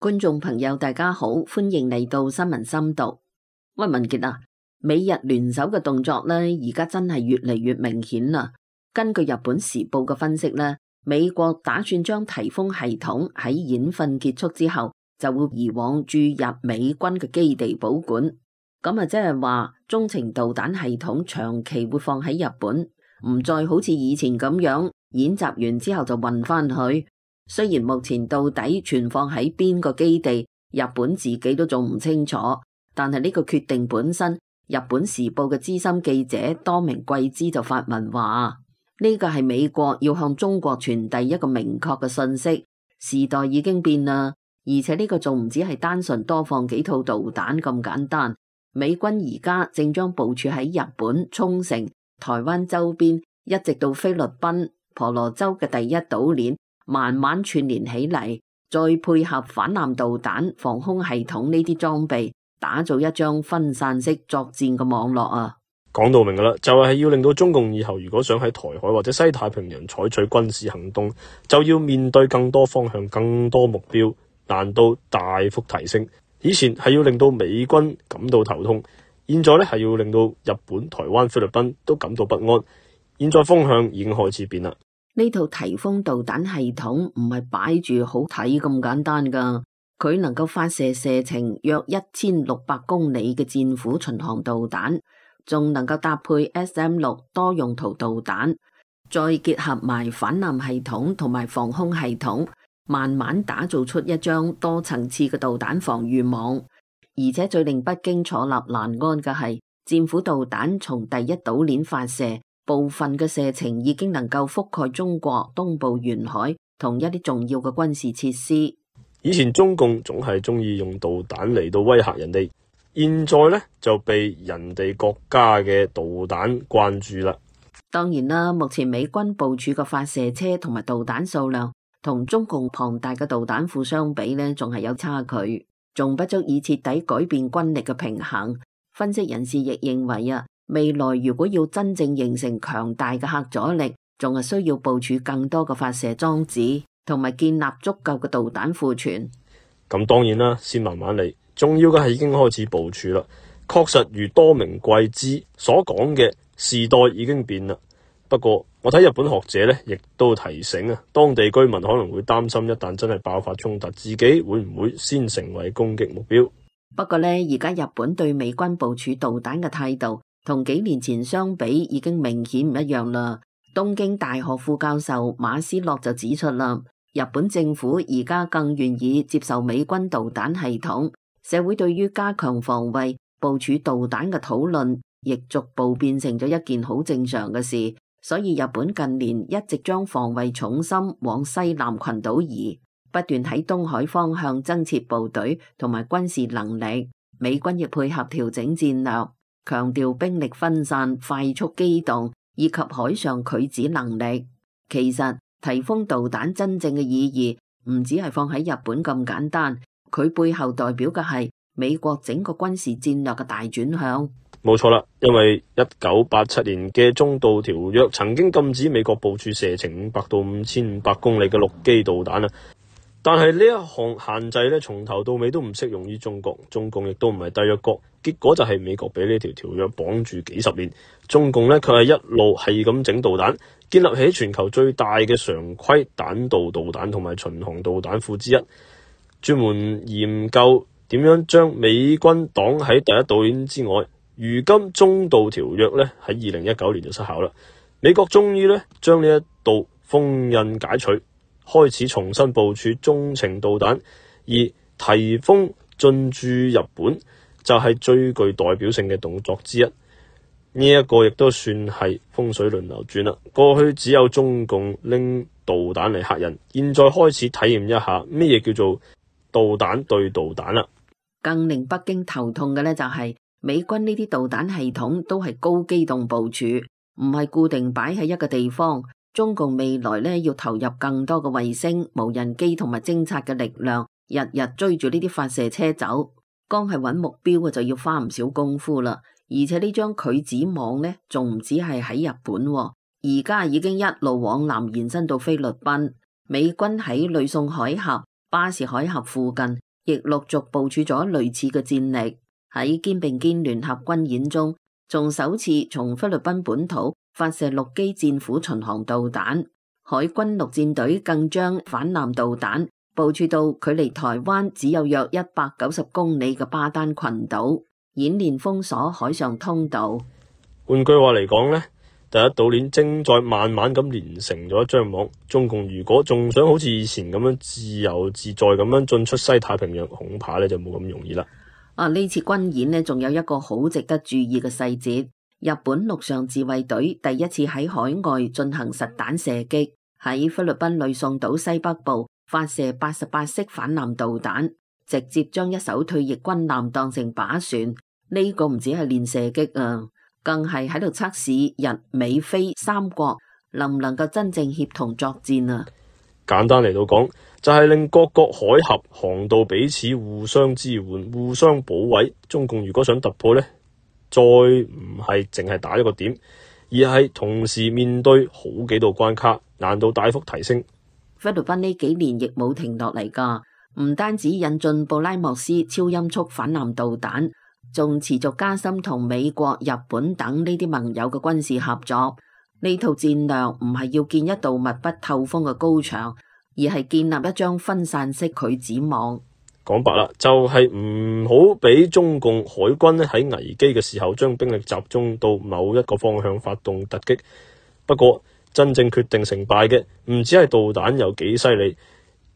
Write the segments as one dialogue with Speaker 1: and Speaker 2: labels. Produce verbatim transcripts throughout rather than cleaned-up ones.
Speaker 1: 觀眾朋友大家好，歡迎嚟到新聞深度。喂，文傑啊，美日聯手嘅動作呢，而家真係越嚟越明顯啦。根據日本時報嘅分析呢，美國打算將颱風系統喺演訓結束之後，就會移往駐日美軍嘅基地保管。咁啊，即係話中程導彈系統長期會放喺日本，唔再好似以前咁樣演習完之後就運翻去。雖然目前到底存放喺邊個基地，日本自己都仲唔清楚，但係呢個決定本身，日本時報嘅資深記者多明貴之就發文話，呢個係美國要向中國傳遞一個明確嘅信息，時代已經變啦，而且呢個仲唔止係單純多放幾套導彈咁簡單，美軍而家正將部署喺日本沖繩、台灣周邊，一直到菲律賓婆羅洲嘅第一島鏈，慢慢串聯起嚟，再配合反艦導彈、防空系統呢啲裝備，打造一張分散式作戰嘅網絡啊！
Speaker 2: 講到明噶啦，就係要令到中共以後如果想喺台海或者西太平洋採取軍事行動，就要面對更多方向、更多目標，難度大幅提升。以前係要令到美軍感到頭痛，現在咧係要令到日本、台灣、菲律賓都感到不安。現在風向已經開始變啦。
Speaker 1: 呢套颱風導彈系統唔係擺住好睇咁簡單噶，佢能夠發射射程約一千六百公里嘅戰斧巡航導彈，仲能夠搭配 S M 六多用途導彈，再結合埋反艦系統同埋防空系統，慢慢打造出一張多層次嘅導彈防禦網。而且最令北京坐立難安嘅係，戰斧導彈從第一島鏈發射，部分嘅射程已經能夠覆蓋中國東部沿海同一啲重要嘅軍事設施。
Speaker 2: 以前中共總係中意用導彈嚟到威嚇人哋，現在呢就被人哋國家嘅導彈關注啦。
Speaker 1: 當然啦，目前美軍部署嘅發射車同埋導彈數量同中共龐大嘅導彈庫相比呢，仲係有差距，仲不足以徹底改變軍力嘅平衡。分析人士亦認為啊，未來如果要真正形成強大嘅核阻力，仲係需要部署更多嘅發射裝置，同埋建立足夠嘅導彈庫存。
Speaker 2: 咁當然啦，先慢慢嚟。重要嘅係已經開始部署啦。確實如多明貴之所講嘅，時代已經變啦。不過我睇日本學者呢，亦都提醒啊，當地居民可能會擔心，一旦真係爆發衝突，自己會唔會先成為攻擊目標？
Speaker 1: 不過呢，而家日本對美軍部署導彈嘅態度，同幾年前相比已經明顯唔一樣啦。東京大學副教授馬斯洛就指出啦，日本政府而家更願意接受美軍導彈系統，社會對於加強防衛、部署導彈嘅討論，亦逐步變成咗一件好正常嘅事。所以日本近年一直將防衛重心往西南群島移，不斷喺東海方向增設部隊同埋軍事能力。美軍亦配合調整戰略，強調兵力分散、快速機動以及海上拒止能力。其實颱風導彈真正嘅意義唔只係放喺日本咁簡單，佢背後代表嘅係美國整個軍事戰略嘅大轉向。
Speaker 2: 冇錯啦，因為一九八七年嘅中導條約曾經禁止美國部署射程五百到五千五百公里嘅陸基導彈啊。但係呢一項限制咧，從頭到尾都唔適用於中國，中共亦都唔係締約國，結果就係美國俾呢條條約綁住幾十年，中共咧佢係一路係咁整導彈，建立起全球最大嘅常規彈道導彈同埋巡航導彈庫之一，專門研究點樣將美軍擋喺第一島鏈之外。如今中導條約咧喺二零一九年就失效啦，美國終於咧將呢一道封印解除，開始重新部署中程導彈，而颱風進駐日本就係最具代表性嘅動作之一。呢、這、一個亦都算係風水輪流轉啦。過去只有中共拎導彈嚟嚇人，現在開始體驗一下咩嘢叫做導彈對導彈啦。
Speaker 1: 更令北京頭痛嘅咧就係、是。美軍呢啲導彈系統都係高機動部署，唔係固定擺喺一個地方。中共未來咧要投入更多嘅衛星、無人機同埋偵察嘅力量，日日追住呢啲發射車走。光係揾目標嘅就要花唔少功夫啦。而且呢張拒止網呢，仲唔止係喺日本，而家已經一路往南延伸到菲律賓。美軍喺呂宋海峽、巴士海峽附近亦陸續部署咗類似嘅戰力。喺肩並肩聯合軍演中，仲首次從菲律賓本土發射陸基戰斧巡航導彈。海軍陸戰隊更將反艦導彈部署到距離台灣只有約一百九十公里嘅巴丹群島，演練封鎖海上通道。
Speaker 2: 換句話嚟講呢，第一島鏈正在慢慢咁連成咗一張網。中共如果仲想好似以前咁樣自由自在咁樣進出西太平洋，恐怕呢就冇咁容易啦。
Speaker 1: 啊！呢次軍演呢，仲有一個好值得注意嘅細節，日本陸上自衛隊第一次喺海外進行實彈射擊，喺菲律賓呂宋島西北部發射八十八式反艦導彈，直接將一艘退役軍艦當成靶船。呢個唔止係練射擊啊，更係喺度測試日美菲三國能唔能夠真正協同作戰啊！
Speaker 2: 簡單嚟到講，就係令各國海峽航道彼此互相支援、互相保衛。中共如果想突破呢，再唔係淨係打一個點，而係同時面對好幾道關卡，難度大幅提升。
Speaker 1: 菲律賓呢幾年亦冇停落嚟㗎，唔單止引進布拉莫斯超音速反艦導彈，仲持續加深同美國、日本等呢啲盟友嘅軍事合作。呢套戰略唔係要建一道密不透風嘅高牆，而係建立一張分散式拒止網。
Speaker 2: 講白啦，就係唔好俾中共海軍咧喺危機嘅時候將兵力集中到某一個方向發動突擊。不過真正決定成敗嘅唔止係導彈有幾犀利，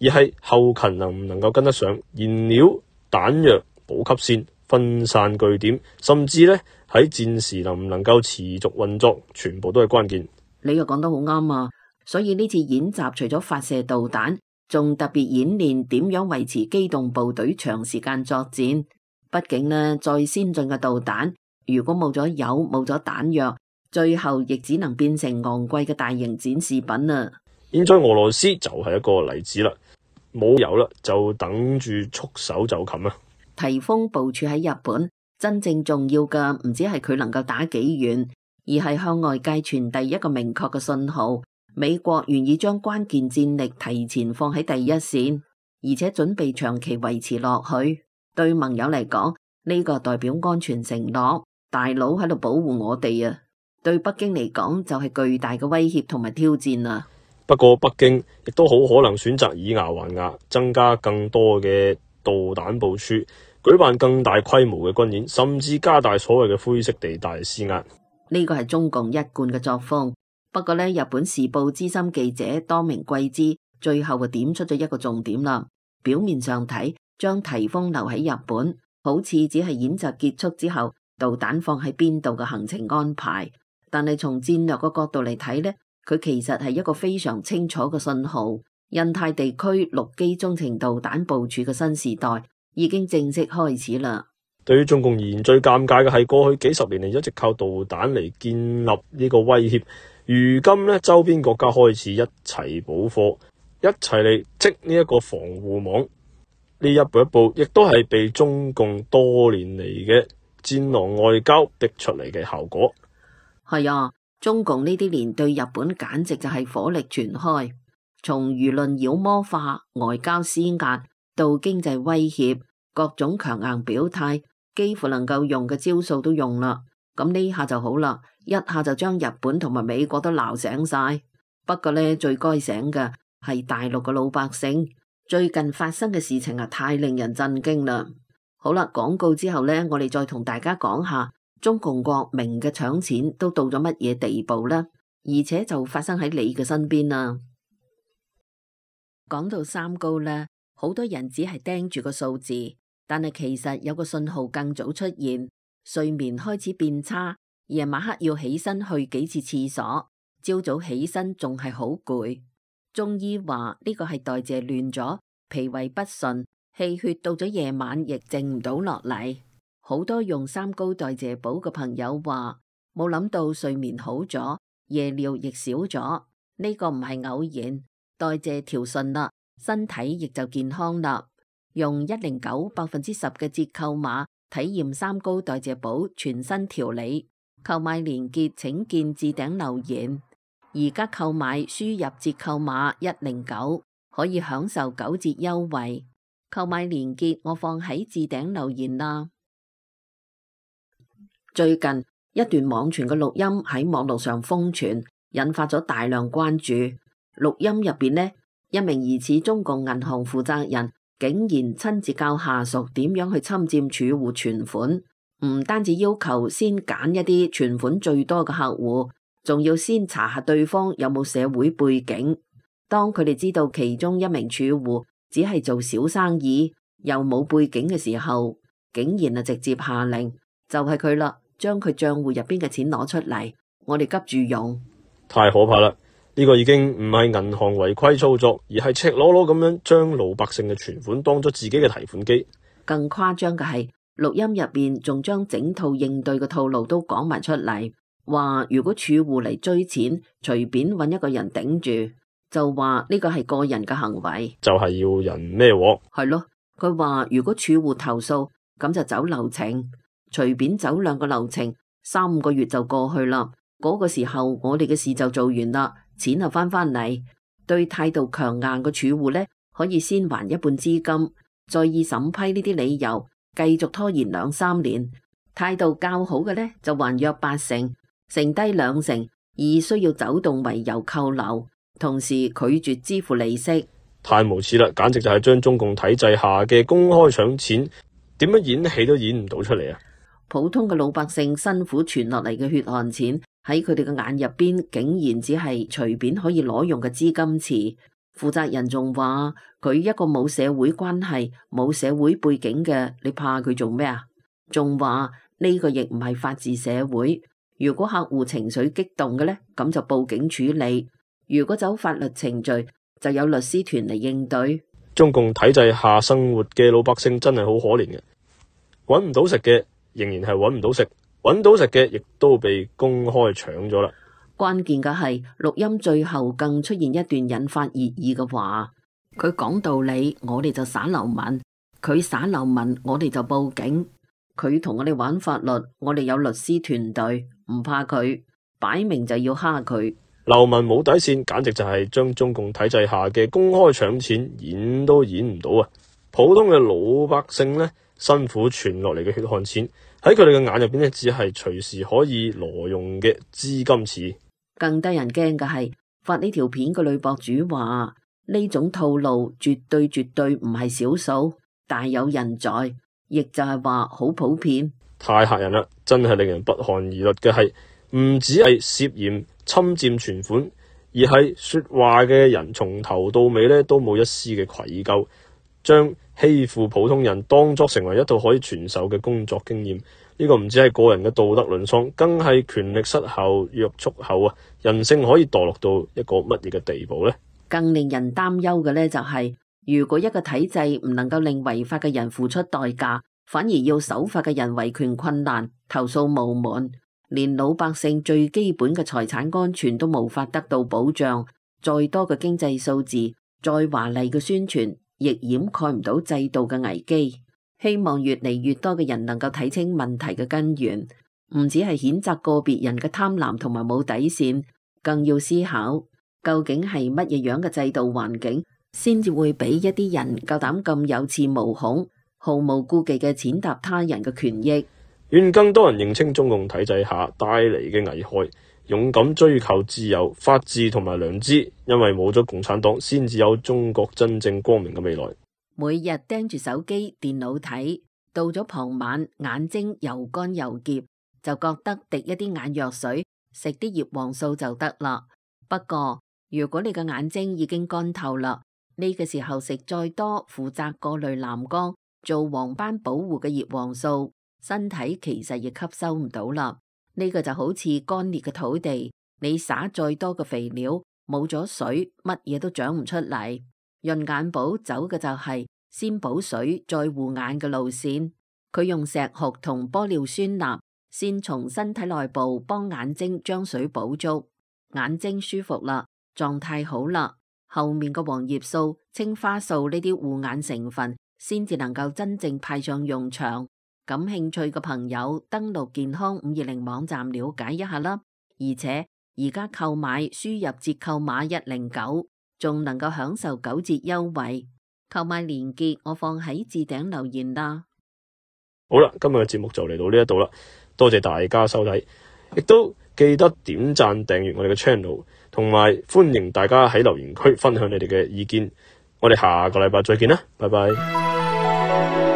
Speaker 2: 而係後勤能唔能夠跟得上，燃料、彈藥、補給線、分散據點，甚至咧喺戰時能唔能夠持續運作，全部都係關鍵。
Speaker 1: 你又講得好啱啊！所以呢次演習除咗發射導彈，仲特別演練點樣維持機動部隊長時間作戰。畢竟呢，再先進嘅導彈，如果冇咗油、冇咗彈藥，最後亦只能變成昂貴嘅大型展示品啊！
Speaker 2: 現在俄羅斯就係一個例子啦，冇油啦，就等住束手就擒啊！
Speaker 1: 提豐部署喺日本，真正重要嘅唔止係佢能夠打幾遠，而係向外界傳遞一個明確嘅信號。美國願意將關鍵戰力提前放喺第一線，而且準備長期維持落去。對盟友嚟講，呢個代表安全承諾，大佬喺度保護我哋啊！對北京嚟講就係巨大嘅威脅同埋挑戰啊！
Speaker 2: 不過北京亦都好可能選擇以牙還牙，增加更多嘅導彈部署，舉辦更大規模嘅軍演，甚至加大所謂嘅灰色地帶施壓。
Speaker 1: 呢個係中共一貫嘅作風。不過呢，日本時報資深記者多明貴之最後就點出咗一個重點啦。表面上睇，將提豐留喺日本，好似只係演習結束之後導彈放喺邊度嘅行程安排。但係從戰略嘅角度嚟睇呢，佢其實係一個非常清楚嘅信號。印太地區陸基中程導彈部署嘅新時代已經正式開始啦。
Speaker 2: 對於中共而言，最尷尬嘅係過去幾十年嚟一直靠導彈嚟建立呢個威脅。如今呢，周邊國家開始一齊補貨，一齊嚟織呢一個防護網。呢一步一步，亦都係被中共多年嚟嘅戰狼外交逼出嚟嘅效果。
Speaker 1: 係啊，中共呢啲年對日本簡直就係火力全開，從輿論妖魔化、外交施壓到經濟威脅，各種強硬表態，幾乎能夠用嘅招數都用啦。咁呢下就好啦，一下就將日本同埋美國都鬧醒晒。不過呢，最該醒嘅係大陸嘅老百姓。最近發生嘅事情啊，太令人震驚啦。好啦，廣告之後呢，我哋再同大家講下中共國明嘅搶錢都到咗乜嘢地步啦，而且就發生喺你嘅身邊啦。講到三高呢，好多人只係盯住個數字，但係其實有個信號更早出現。睡眠開始變差，夜晚黑要起身去幾次廁所，朝早起身仲係好攰。中醫話呢個係代謝亂咗，脾胃不順，氣血到咗夜晚亦靜唔到落嚟。好多用三高代謝補嘅朋友話，冇諗到睡眠好咗，夜尿亦少咗。呢個唔係偶然，代謝調順啦，身體亦就健康啦。用一零九百分之十嘅折扣碼。體驗三高代謝寶全新調理，購買鏈接請見置頂留言。而家購買輸入折扣碼一零九可以享受九折優惠。購買連結我放喺置頂留言啦。最近一段網傳嘅錄音喺網絡上瘋傳，引發咗大量關注。錄音入邊呢，一名疑似中共銀行負責人竟然親自教下屬點樣去侵佔儲戶存款，唔單止要求先揀一啲存款最多嘅客戶，仲要先查下對方有冇社會背景。當佢哋知道其中一名儲戶只係做小生意，又冇背景嘅時候，竟然啊直接下令，就係佢啦，將佢賬戶入邊嘅錢攞出嚟，我哋急住用。
Speaker 2: 太可怕啦！呢個已經唔係銀行違規操作，而係赤裸裸咁樣將老百姓嘅存款當咗自己嘅提款機。
Speaker 1: 更誇張嘅係，錄音入邊仲將整套應對嘅套路都講埋出嚟，話如果儲戶嚟追錢，隨便揾一個人頂住，就話呢個係個人嘅行為，
Speaker 2: 就係要人孭鑊。
Speaker 1: 係咯，佢話如果儲戶投訴，咁就走流程，隨便走兩個流程，三個月就過去啦。嗰個時候我哋嘅事就做完啦，錢就翻返嚟。對態度強硬嘅儲戶呢，可以先還一半資金，再以審批呢啲理由繼續拖延兩三年。態度較好嘅呢，就還約八成，剩低兩成以需要走動為由扣留，同時拒絕支付利息。
Speaker 2: 太無恥啦，簡直就係將中共體制下嘅公開搶錢，點樣演戲都演唔到出嚟啊！
Speaker 1: 普通嘅老百姓辛苦存落嚟嘅血汗錢，喺佢哋嘅眼入邊，竟然只係隨便可以攞用嘅資金池。負責人仲話佢一個冇社會關係、冇社會背景嘅，你怕佢做咩啊？仲話呢個亦唔係法治社會，如果客戶情緒激動嘅呢，咁就報警處理；如果走法律程序，就有律師團嚟應對。
Speaker 2: 中共體制下生活嘅老百姓真係好可憐嘅，搵唔到食嘅仍然係搵唔到食，搵到食嘅亦都被公開搶咗啦。
Speaker 1: 關鍵嘅係錄音最後更出現一段引發熱議嘅話，佢講道理，我哋就耍流民；佢耍流民，我哋就報警。佢同我哋玩法律，我哋有律師團隊，唔怕佢，擺明就要蝦佢。
Speaker 2: 流民冇底線，簡直就係將中共體制下嘅公開搶錢演都演唔到啊！普通嘅老百姓呢，辛苦存落嚟嘅血汗錢，喺佢哋嘅眼入邊呢，只係隨時可以挪用嘅資金池。
Speaker 1: 更得人驚嘅係，發呢條片嘅女博主話呢種套路絕對絕對唔係少數，大有人在，亦就係話好普遍。
Speaker 2: 太嚇人啦！真係令人不寒而栗嘅係，唔止係涉嫌侵佔存款，而係說話嘅人從頭到尾咧都冇一絲嘅愧疚，將欺負普通人當作成為一套可以傳授嘅工作經驗。呢個唔止係個人嘅道德淪喪，更係權力失效、約束後啊，人性可以墮落到一個乜嘢嘅地步呢？
Speaker 1: 更令人擔憂嘅呢，就係如果一個體制唔能夠令違法嘅人付出代價，反而要守法嘅人維權困難、投訴無門，連老百姓最基本嘅財產安全都無法得到保障，再多嘅經濟數字、再華麗嘅宣傳，亦掩蓋唔到制度嘅危機。希望越嚟越多嘅人能夠睇清問題嘅根源，唔只係譴責個別人嘅貪婪同埋冇底線，更要思考究竟係乜嘢樣嘅制度環境，先至會俾一啲人夠膽咁有恃無恐、毫無顧忌嘅踐踏他人嘅權益。
Speaker 2: 願更多人認清中共體制下帶嚟嘅危害，勇敢追求自由、法治同埋良知，因為冇咗共產黨，先至有中國真正光明嘅未來。
Speaker 1: 每日盯住手機、電腦睇，到咗傍晚眼睛又乾又澀，就覺得滴一啲眼藥水，食啲葉黃素就得啦。不過如果你嘅眼睛已經乾透啦，呢個時候食再多負責過濾藍光、做黃斑保護嘅葉黃素，身體其實亦吸收唔到啦。呢個就好似乾裂嘅土地，你撒再多嘅肥料，冇咗水，乜嘢都長唔出嚟。潤眼寶走嘅就係先補水再護眼嘅路線，佢用石斛同玻尿酸鈉先從身體內部幫眼睛將水補足，眼睛舒服啦，狀態好啦，後面嘅黃葉素、青花素呢啲護眼成分先至能夠真正派上用場。感興趣嘅朋友登錄健康五二零網站了解一下啦，而且而家購買輸入折扣碼一零九。仲能夠享受九折優惠。購買連結我放喺置頂留言啦。
Speaker 2: 好啦，今日嘅節目就嚟到呢一度啦，多謝大家收睇，亦都記得點讚訂閱我哋嘅 channel， 同埋歡迎大家喺留言區分享你哋嘅意見。我哋下個禮拜再見啦，拜拜。